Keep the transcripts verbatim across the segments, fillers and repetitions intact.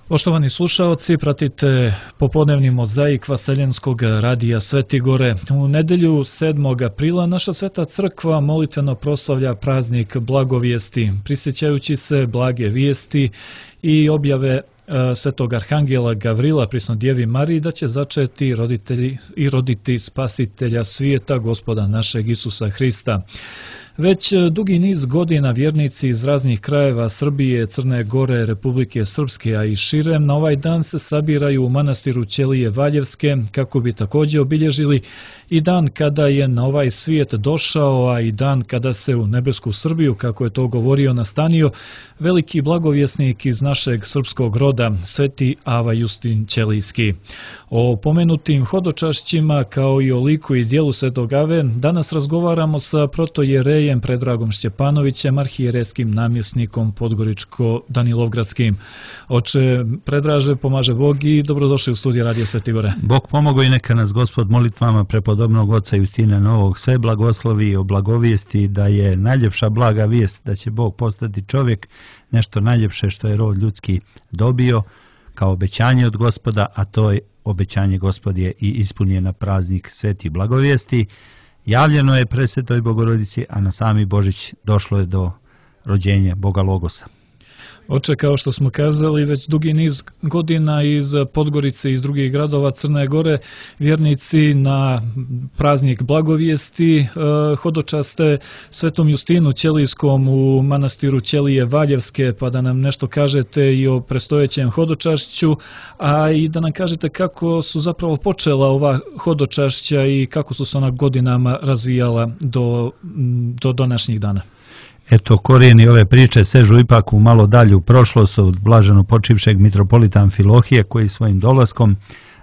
Poštovani slušaoci, pratite popodnevni mozaik Vaseljenskog radija Svetigore. U nedelju sedmog aprila naša Sveta crkva molitveno proslavlja praznik Blagovijesti, prisjećajući se blage vijesti i objave Svetog Arhangela Gavrila prisnoj Djevi Mariji da će začeti roditelji i roditi spasitelja svijeta, Gospoda našeg Isusa Hrista. Već dugi niz godina vjernici iz raznih krajeva Srbije, Crne Gore, Republike Srpske, a i šire, na ovaj dan se sabiraju u manastiru Ćelije Valjevske kako bi također obilježili i dan kada je na ovaj svijet došao, a i dan kada se u nebesku Srbiju, kako je to govorio, nastanio veliki blagovjesnik iz našeg srpskog roda, Sveti Ava Justin Ćelijski. O pomenutim hodočašćima kao i o liku i dijelu Svetog Ave danas razgovaramo sa protojerejem Predragom Šćepanovićem, arhijerejskim namjesnikom Podgoričko-Danilovgradskim. Oče Predraže, pomaže Bog i dobrodošli u studiju Radija Svetigore. Bog pomogo i neka nas Gospod molitvama prepodobnog oca Justina Novog sve blagoslovi i oblagovijesti da je najljepša blaga vijest da će Bog postati čovjek, nešto najljepše što je rod ljudski dobio kao obećanje od Gospoda, a to je obećanje Gospod je i ispunio na praznik Sveti blagovijesti. Javljeno je presvetoj Bogorodici, a na sami Božić došlo je do rođenja Boga Logosa. Oče, kao što smo kazali, već dugi niz godina iz Podgorice i iz drugih gradova Crne Gore vjernici na praznik Blagovijesti hodočaste Svetom Justinu Ćelijskom u manastiru Ćelije Valjevske, pa da nam nešto kažete i o prestojećem hodočašću, a i da nam kažete kako su zapravo počela ova hodočašća i kako su se ona godinama razvijala do, do današnjih dana. Eto, korijeni ove priče sežu ipak u malo dalju prošlost od blaženo počivšeg mitropolita Amfilohije koji svojim dolaskom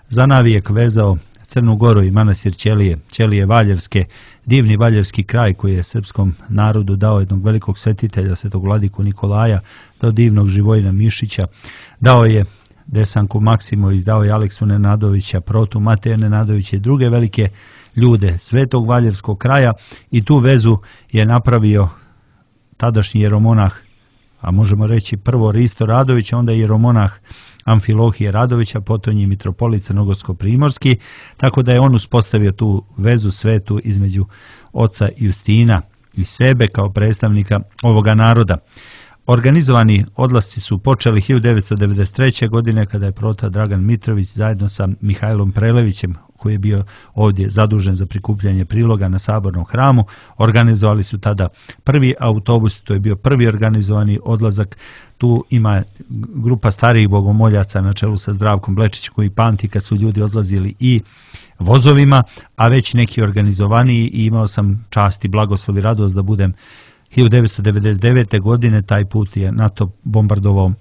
zanavijek vezao Crnu Goru i manastir Ćelije, Ćelije Valjevske, divni valjevski kraj koji je srpskom narodu dao jednog velikog svetitelja, svetog vladiku Nikolaja, dao divnog Živojina Mišića, dao je Desanku Maksimović, dao je Aleksu Nenadovića, Protu Mateja Nenadovića i druge velike ljude svetog valjevskog kraja i tu vezu je napravio tadašnji jeromonah, a možemo reći prvo Risto Radović, onda jeromonah Amfilohije Radovića, potom je mitropolit Crnogorsko-primorski, tako da je on uspostavio tu vezu svetu između oca Justina i sebe kao predstavnika ovoga naroda. Organizovani odlasci su počeli hiljadu devetsto devedeset treće. godine kada je prota Dragan Mitrović zajedno sa Mihajlom Prelevićem, koji je bio ovdje zadužen za prikupljanje priloga na Sabornom hramu, organizovali su tada prvi autobus, to je bio prvi organizovani odlazak. Tu ima grupa starijih bogomoljaca na čelu sa Zdravkom Blečićem koji pamti kad su ljudi odlazili i vozovima, a već neki organizovaniji, i imao sam čast i blagoslov i radost da budem hiljadu devetsto devedeset devete. godine, taj put je NATO bombardovao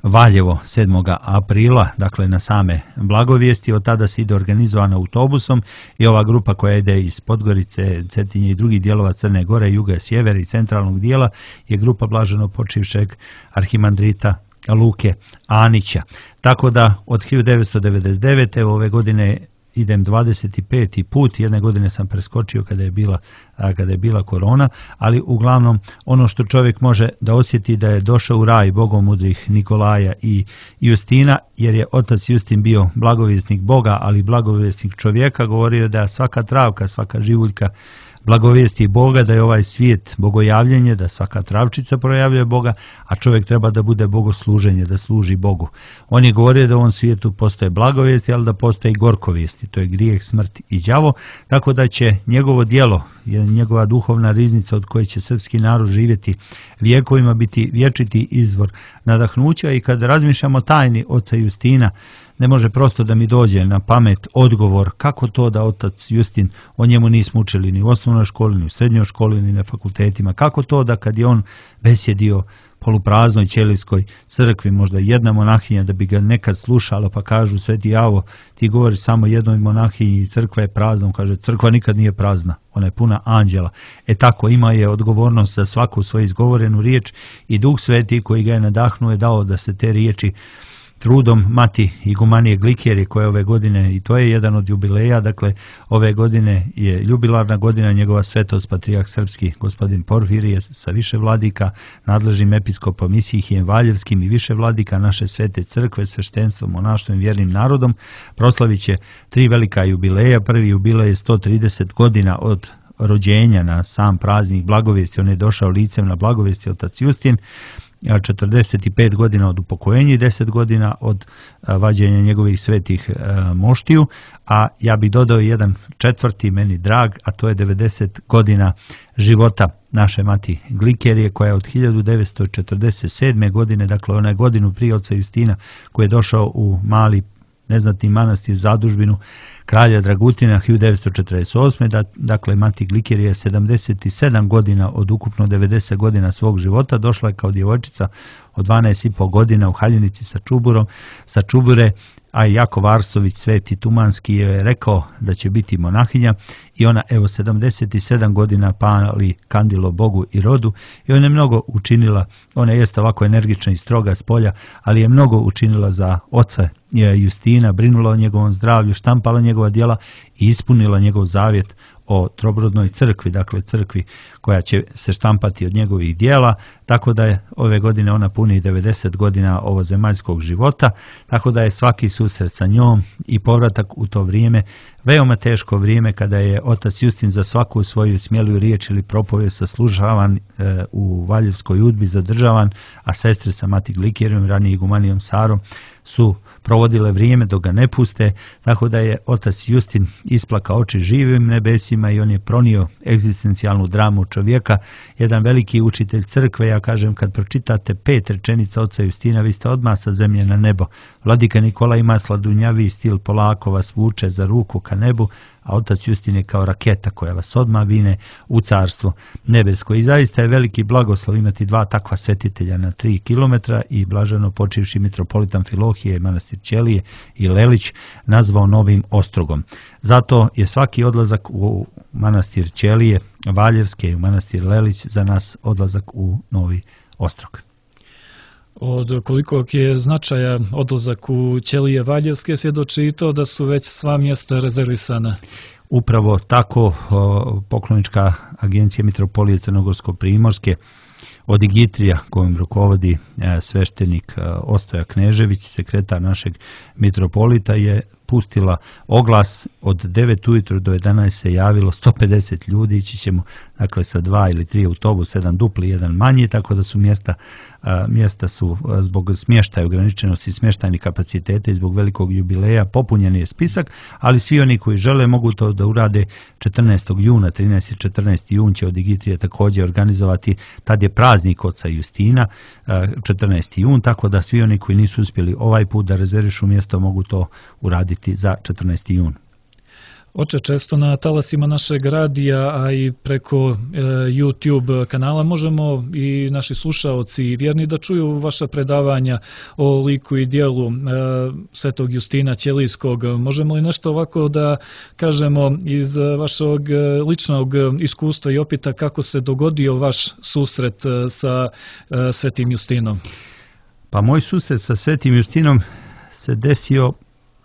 Valjevo sedmog aprila, dakle na same Blagovijesti. Od tada se ide organizovana autobusom i ova grupa koja ide iz Podgorice, Cetinje i drugih dijelova Crne Gore, juga, sjevera i centralnog dijela je grupa blaženo počivšeg arhimandrita Luke Anića. Tako da od hiljadu devetsto devedeset devete. ove godine idem dvadeset peti put, jedne godine sam preskočio kada je bila, kada je bila korona, ali uglavnom ono što čovjek može da osjeti da je došao u raj bogomudrih Nikolaja i Justina, jer je otac Justin bio blagovjesnik Boga, ali blagovjesnik čovjeka, govorio da svaka travka, svaka živuljka blagovijesti Boga, da je ovaj svijet bogojavljenje, da svaka travčica projavljuje Boga, a čovjek treba da bude bogosluženje, da služi Bogu. On je govorio da u ovom svijetu postoje blagovijesti, ali da postoje i gorkovijesti, to je grijeh, smrt i đavo, tako da će njegovo djelo, njegova duhovna riznica od koje će srpski narod živjeti vijekovima, biti vječiti izvor nadahnuća. I kad razmišljamo tajni oca Justina, ne može prosto da mi dođe na pamet odgovor kako to da otac Justin, o njemu nismo učili ni u osnovnoj školi, ni u srednjoj školi, ni na fakultetima. Kako to da kad je on besjedio polupraznoj Ćelijskoj crkvi, možda jedna monahinja da bi ga nekad slušala, pa kažu: Sveti Avo, ti govoriš samo jednoj monahinji, crkva je prazna. On kaže: crkva nikad nije prazna, ona je puna anđela. E tako, ima je odgovornost za svaku svoju izgovorenu riječ i Duh Sveti koji ga je nadahnuo je dao da se te riječi trudom mati igumanije Glikerije koja ove godine, i to je jedan od jubileja, dakle ove godine je jubilarna godina, njegova svetost patrijarh srpski gospodin Porfirije sa više vladika, nadležnim episkopom Isihijem Valjevskim i više vladika naše svete crkve, sveštenstvom, monaštvom i vjernim narodom proslavit će tri velika jubileja. Prvi jubilej je sto trideset godina od rođenja na sam praznik Blagovijesti, on je došao licem na Blagovijesti otac Justin, četrdeset pet godina od upokojenja i deset godina od vađenja njegovih svetih moštiju, a ja bih dodao jedan četvrti meni drag, a to je devedeset godina života naše mati Glikerije koja je od hiljadu devetsto četrdeset sedme. godine, dakle ona je godinu prije oca Justina koji je došao u mali neznatni manastir zadužbinu kralja Dragutina hiljadu devetsto četrdeset osme. Dakle, mati Glikerije je sedamdeset sedam godina od ukupno devedeset godina svog života. Došla je kao djevojčica od dvanaest i po godina u haljinici sa čuburom, sa čubure, a Jakov Arsović, sveti Tumanski, je rekao da će biti monahinja i ona evo sedamdeset sedam godina pali kandilo Bogu i rodu i ona je mnogo učinila, ona je ovako energična i stroga s polja, ali je mnogo učinila za oca Justina, brinula o njegovom zdravlju, štampala njegova djela i ispunila njegov zavjet o trobrodnoj crkvi, dakle crkvi koja će se štampati od njegovih djela, tako da je ove godine ona puni devedeset godina ovozemaljskog života, tako da je svaki susret sa njom i povratak u to vrijeme veoma teško vrijeme kada je otac Justin za svaku svoju smjelu riječ ili propovijest saslušavan e, u Valjevskoj udbi, zadržavan, a sestre sa mati Glikerijom, ranije igumanijom Sarom su provodile vrijeme dok ga ne puste, tako da je otac Justin isplakao oči živim nebesima i on je pronio egzistencijalnu dramu čovjeka, jedan veliki učitelj crkve. Ja kažem, kad pročitate pet rečenica oca Justina, vi ste odmah sa zemlje na nebo. Vladika Nikola ima sladunjavi stil, polako vas vuče za ruku ka nebu, a otac Justin je kao raketa koja vas odmah vine u carstvo nebesko. I zaista je veliki blagoslov imati dva takva svetitelja na tri kilometra i blaženo počivši mitropolitan Filohije, manastir Ćelije i Lelić nazvao Novim Ostrogom. Zato je svaki odlazak u manastir Ćelije, Valjevske i u manastir Lelić za nas odlazak u Novi Ostrog. Od kolikog je značaja odlazak u Ćelije Valjevske svjedoči i to da su već sva mjesta rezervisana. Upravo tako poklonička agencija Mitropolije Crnogorsko-Primorske od Igitrija kojim rukovodi sveštenik Ostoja Knežević, sekretar našeg mitropolita, je pustila oglas od devet ujutro do jedanaest se javilo sto pedeset ljudi, ići ćemo dakle sa dva ili tri autobusa, jedan dupli, jedan manji, tako da su mjesta, mjesta su zbog smještaja, ograničenosti smještajnih kapaciteta i zbog velikog jubileja popunjen je spisak, ali svi oni koji žele mogu to da urade četrnaestog juna, trinaesti i četrnaesti jun će od Igitrije također organizovati, tad je praznik oca Justina, četrnaesti jun, tako da svi oni koji nisu uspjeli ovaj put da rezervišu mjesto mogu to uraditi za četrnaesti jun. Oče, često na talasima našeg radija, a i preko e, YouTube kanala možemo i naši slušaoci i vjerni da čuju vaša predavanja o liku i dijelu e, svetog Justina Ćelijskog. Možemo li nešto ovako da kažemo iz vašeg ličnog iskustva i opita kako se dogodio vaš susret sa e, svetim Justinom? Pa moj susret sa svetim Justinom se desio,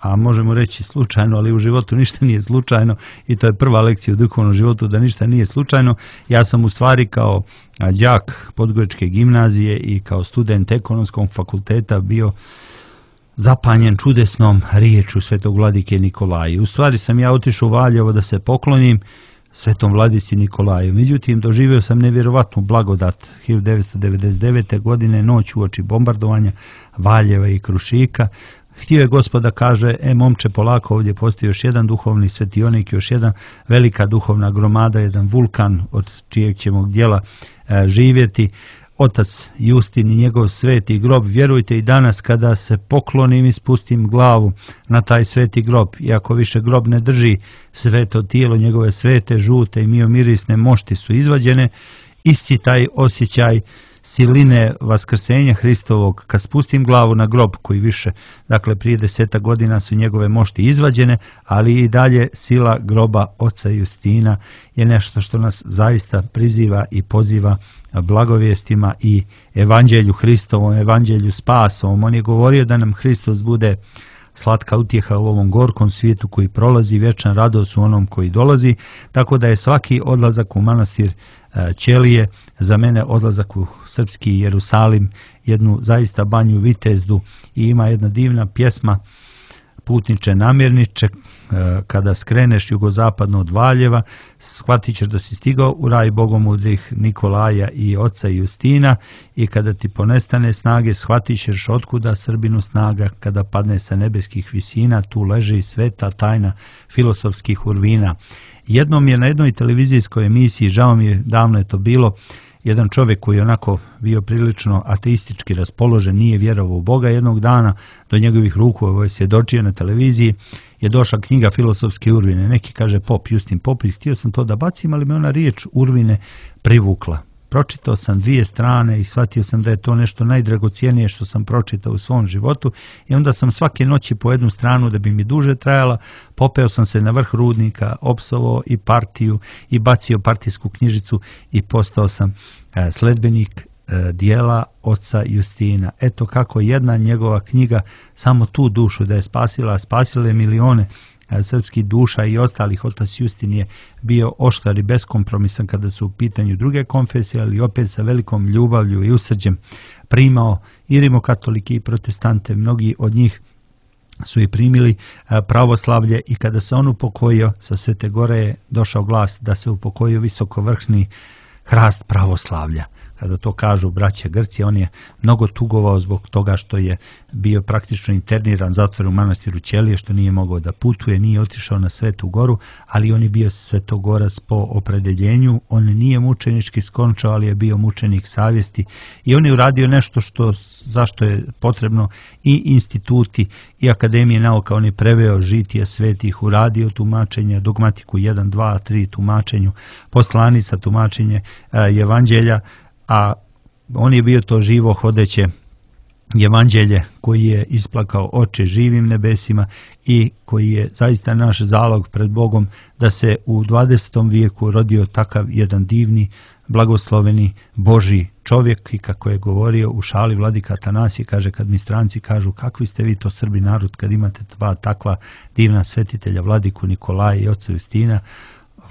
a možemo reći slučajno, ali u životu ništa nije slučajno i to je prva lekcija u duhovnom životu, da ništa nije slučajno. Ja sam u stvari kao đak Podgoričke gimnazije i kao student ekonomskog fakulteta bio zapanjen čudesnom riječu svetog vladike Nikolaja. U stvari sam ja otišao u Valjevo da se poklonim svetom vladici Nikolaju. Međutim, doživio sam nevjerovatnu blagodat hiljadu devetsto devedeset devete. godine, noć uoči bombardovanja Valjeva i Krušika. Htio je Gospoda, kaže, e momče, polako, ovdje postoji još jedan duhovni svetionik, još jedna velika duhovna gromada, jedan vulkan od čijeg ćemo djela e, živjeti. Otac Justin i njegov sveti grob, vjerujte i danas kada se poklonim i spustim glavu na taj sveti grob, iako više grob ne drži sveto tijelo, njegove svete, žute i miomirisne mošti su izvađene, isti taj osjećaj siline vaskrsenja Hristovog, kad spustim glavu na grob koji više, dakle prije deseta godina su njegove mošti izvađene, ali i dalje sila groba oca Justina je nešto što nas zaista priziva i poziva blagovijestima i evanđelju Hristovom, evanđelju spasovom. On je govorio da nam Hristos bude slatka utjeha u ovom gorkom svijetu koji prolazi, vječna radost u onom koji dolazi, tako da je svaki odlazak u manastir Ćelije za mene odlazak u srpski Jerusalim, jednu zaista banju vitezdu, i ima jedna divna pjesma Putniče namirniče, kada skreneš jugozapadno od Valjeva, shvatit ćeš da si stigao u raj bogomudrih Nikolaja i oca Justina, i kada ti ponestane snage, shvatit ćeš otkuda Srbinu snaga, kada padne sa nebeskih visina, tu leži sveta tajna filosofskih urvina. Jednom je na jednoj televizijskoj emisiji, žao mi je, davno je to bilo, jedan čovjek koji je onako bio prilično ateistički raspoložen, nije vjerovao u Boga, jednog dana do njegovih ruku, ovo je svjedočio na televiziji, je došla knjiga Filosofske urvine. Neki kaže pop, Justin Popović, htio sam to da bacim, ali me ona riječ urvine privukla. Pročitao sam dvije strane i shvatio sam da je to nešto najdragocijenije što sam pročitao u svom životu, i onda sam svake noći po jednu stranu, da bi mi duže trajala, popeo sam se na vrh rudnika, opsovao i partiju i bacio partijsku knjižicu i postao sam sledbenik dijela oca Justina. Eto kako jedna njegova knjiga samo tu dušu da je spasila, spasila je milione srpskih duša i ostalih. Otac Justin je bio oštar i beskompromisan kada su u pitanju druge konfesije, ali opet sa velikom ljubavlju i usrđem primao i rimokatolike i protestante. Mnogi od njih su i primili pravoslavlje, i kada se on upokojio, sa Svete Gore je došao glas da se upokojio visokovršni hrast pravoslavlja. Kada to kažu braća Grci, on je mnogo tugovao zbog toga što je bio praktično interniran, zatvoren u manastiru Ćelije, što nije mogao da putuje, nije otišao na Svetu Goru, ali on je bio svetogorac po opredeljenju. On nije mučenički skončao, ali je bio mučenik savjesti, i on je uradio nešto što, zašto je potrebno i instituti i akademije nauka. On je preveo žitije svetih, uradio tumačenje, dogmatiku jedan, dva, tri tumačenju, poslanica tumačenje evanđelja, a on je bio to živo hodeće evanđelje koji je isplakao oče živim nebesima i koji je zaista naš zalog pred Bogom da se u dvadesetom vijeku rodio takav jedan divni, blagosloveni Božji čovjek. I kako je govorio u šali vladika Atanasije, kaže, kad mi stranci kažu kakvi ste vi to Srbi narod kad imate dva takva divna svetitelja, vladiku Nikolaja i oca Justina,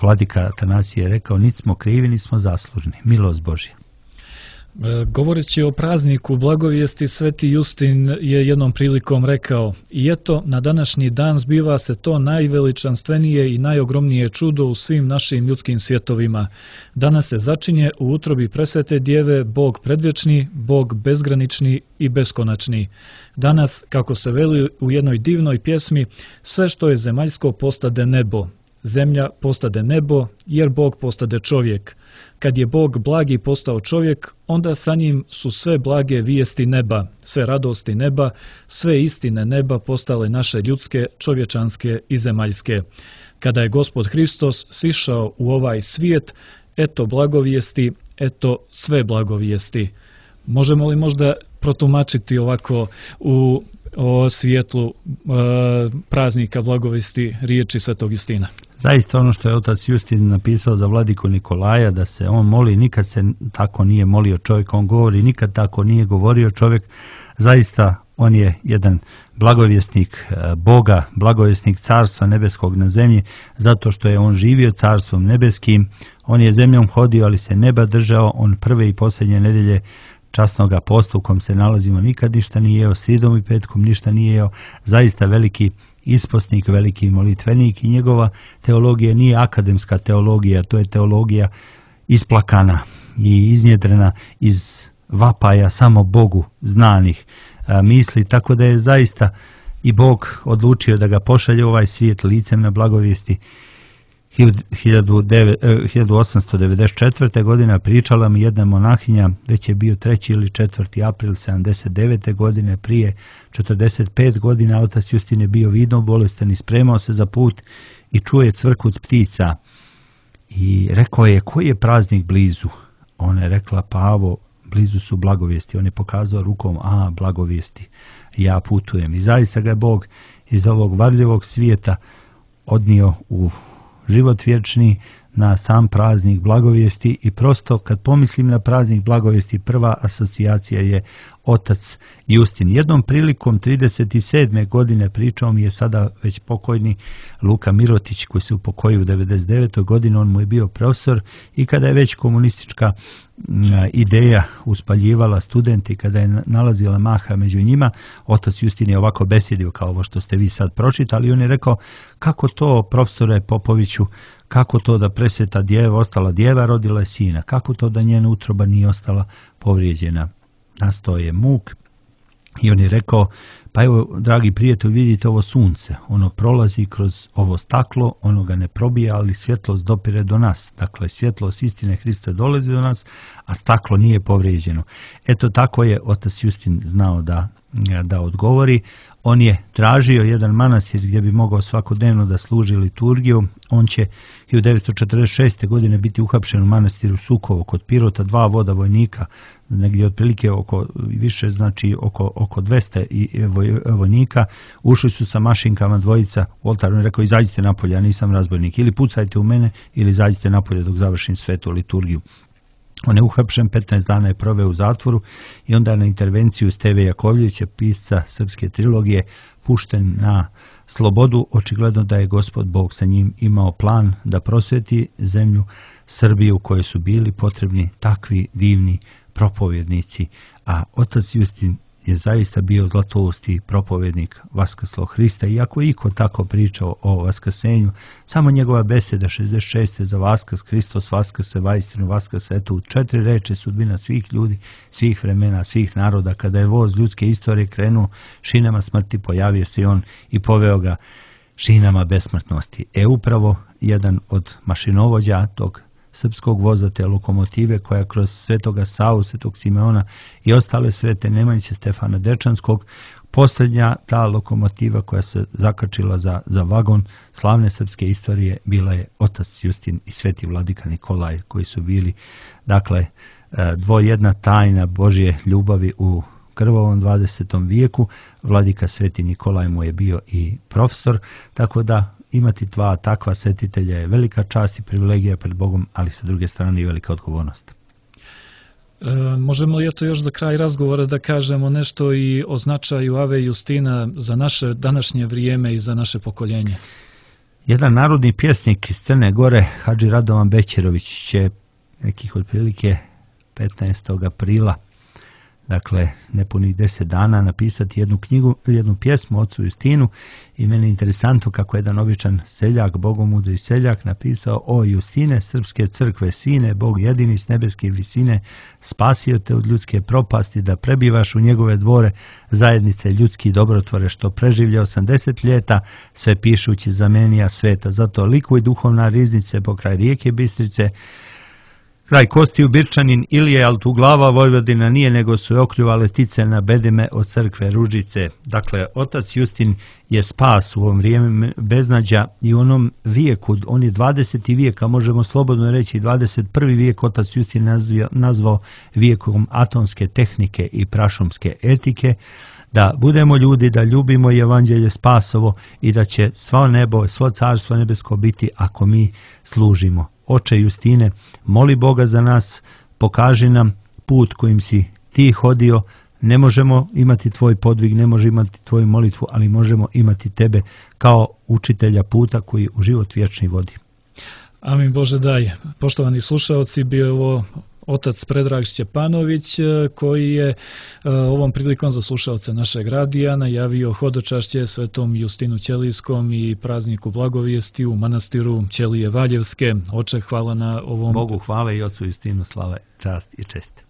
vladika Atanasije je rekao, nit smo krivi, nit smo zaslužni, milost Božja. Govoreći o prazniku blagovijesti, Sveti Justin je jednom prilikom rekao: i eto, na današnji dan zbiva se to najveličanstvenije i najogromnije čudo u svim našim ljudskim svjetovima. Danas se začinje u utrobi presvete djeve Bog predvječni, Bog bezgranični i beskonačni. Danas, kako se veli u jednoj divnoj pjesmi, sve što je zemaljsko postade nebo. Zemlja postade nebo, jer Bog postade čovjek. Kad je Bog blagi postao čovjek, onda sa njim su sve blage vijesti neba, sve radosti neba, sve istine neba postale naše ljudske, čovječanske i zemaljske. Kada je Gospod Hristos sišao u ovaj svijet, eto blagovijesti, eto sve blagovijesti. Možemo li možda protumačiti ovako u o svijetlu e, praznika blagovijesti riječi Svetog Justina? Zaista ono što je otac Justin napisao za vladiku Nikolaja, da se on moli, nikad se tako nije molio čovjek, on govori, nikad tako nije govorio čovjek. Zaista on je jedan blagovjesnik Boga, blagovjesnik Carstva nebeskog na zemlji, zato što je on živio Carstvom nebeskim. On je zemljom hodio, ali se neba držao. On prve i posljednje nedelje časnoga posta u kom se nalazimo nikad ništa nije jeo, sridom i petkom ništa nije jeo. Zaista veliki isposnik, veliki molitvenik, i njegova teologija nije akademska teologija, to je teologija isplakana i iznjedrena iz vapaja samo Bogu znanih a, misli, tako da je zaista i Bog odlučio da ga pošalje u ovaj svijet licem na blagovijesti. hiljadu osamsto devedeset četvrte. godine pričala mi jedna monahinja, već je bio treći ili četvrti april sedamdeset devete. godine, prije četrdeset pet godina, otac Justin je bio vidno bolestan i spremao se za put i čuje cvrkut ptica i rekao je, koji je praznik blizu? Ona je rekla, pa ovo, blizu su blagovijesti. On je pokazao rukom, a blagovijesti, ja putujem. I zaista ga je Bog iz ovog varljivog svijeta odnio u život vječni, na sam praznik blagovijesti. I prosto kad pomislim na praznik blagovijesti, prva asocijacija je otac Justin. Jednom prilikom trideset sedme godine pričao mi je sada već pokojni Luka Mirotić, koji se upokojio u devedeset devetoj godini. On mu je bio profesor i kada je već komunistička ideja uspaljivala studenti, kada je nalazila maha među njima, otac Justin je ovako besjedio kao ovo što ste vi sad pročitali. On je rekao, kako to, profesore Popoviću, kako to da presveta djeva, ostala djeva, rodila je sina? Kako to da njena utroba nije ostala povrijeđena? Nastao je muk i on je rekao, pa evo, dragi prijatelji, vidite ovo sunce, ono prolazi kroz ovo staklo, ono ga ne probija, ali svjetlost dopire do nas. Dakle, svjetlost istine Hrista dolazi do nas, a staklo nije povrijeđeno. Eto, tako je otac Justin znao da, da odgovori. On je tražio jedan manastir gdje bi mogao svakodnevno da služi liturgiju. On će hiljadu devetsto četrdeset šeste. godine biti uhapšen u manastiru Sukovo kod Pirota, dva voda vojnika, negdje otprilike oko više, znači oko, oko dvesta i vojnika. Ušli su sa mašinkama dvojica u oltar. On je rekao, izađite napolje, ja nisam razbojnik, ili pucajte u mene ili izađite napolje dok završim svetu liturgiju. On je uhapšen, petnaest dana je proveo u zatvoru i onda na intervenciju Steve Jakovljevića, pisca srpske trilogije, pušten na slobodu. Očigledno da je Gospod Bog sa njim imao plan da prosvjeti zemlju Srbiju, u kojoj su bili potrebni takvi divni propovjednici. A otac Justin je zaista bio zlatousti propovjednik vaskrslog Hrista. Iako je iko tako pričao o vaskrsenju, samo njegova beseda šezdeset šeste. za Vaskrs, Hristos vaskrse, vaistinu vaskrse, eto u četiri reči sudbina svih ljudi, svih vremena, svih naroda. Kada je voz ljudske istorije krenuo šinama smrti, pojavio se on i poveo ga šinama besmrtnosti. E upravo jedan od mašinovođa tog srpskog voza, te lokomotive koja kroz Svetoga Savu, Svetog Simeona i ostale svete Nemanjiće, Stefana Dečanskog, posljednja ta lokomotiva koja se zakačila za, za vagon slavne srpske istorije bila je otac Justin i sveti vladika Nikolaj, koji su bili, dakle, dvojedna tajna Božje ljubavi u krvavom dvadesetom vijeku. Vladika sveti Nikolaj mu je bio i profesor, tako da imati dva takva svetitelja je velika čast i privilegija pred Bogom, ali sa druge strane i velika odgovornost. E, možemo li eto još za kraj razgovora da kažemo nešto i o značaju Ave Justina za naše današnje vrijeme i za naše pokoljenje? Jedan narodni pjesnik iz Crne Gore, Hadži Radovan Bećerović, će nekih otprilike petnaestog aprila, dakle nepunih deset dana, napisati jednu knjigu, jednu pjesmu ocu Justinu. I meni je interesantno kako jedan običan seljak, bogomudri seljak, napisao: o Justine, srpske crkve sine, Bog jedini s nebeske visine, spasio te od ljudske propasti, da prebivaš u njegove dvore, zajednice ljudski dobrotvore, što preživlja osamdeset ljeta, sve pišući zamenija sveta. Zato likuj duhovna riznice pokraj rijeke Bistrice, kraj Kostiju Birčanin Ilije, ali tu glava Vojvodina nije, nego su je okljuvale tice na bedime od crkve Ružice. Dakle, otac Justin je spas u ovom vrijeme beznađa i u onom vijeku, on je dvadeseti vijek, a možemo slobodno reći dvadeset prvi vijek, otac Justin nazvao, nazvao vijekom atomske tehnike i prašumske etike. Da budemo ljudi, da ljubimo evanđelje spasovo i da će svo nebo, svo carstvo nebesko biti ako mi služimo. Oče Justine, moli Boga za nas, pokaži nam put kojim si ti hodio. Ne možemo imati tvoj podvig, ne možemo imati tvoju molitvu, ali možemo imati tebe kao učitelja puta koji u život vječni vodi. Amin Bože daj. Poštovani slušaoci, bio je ovo otac Predrag Šćepanović, koji je ovom prilikom za slušaoce našeg radija najavio hodočašće svetom Justinu Ćelijskom i prazniku blagovijesti u manastiru Ćelije Valjevske. Oče, hvala na ovom... Bogu hvala i ocu Justinu slava, čast i čest.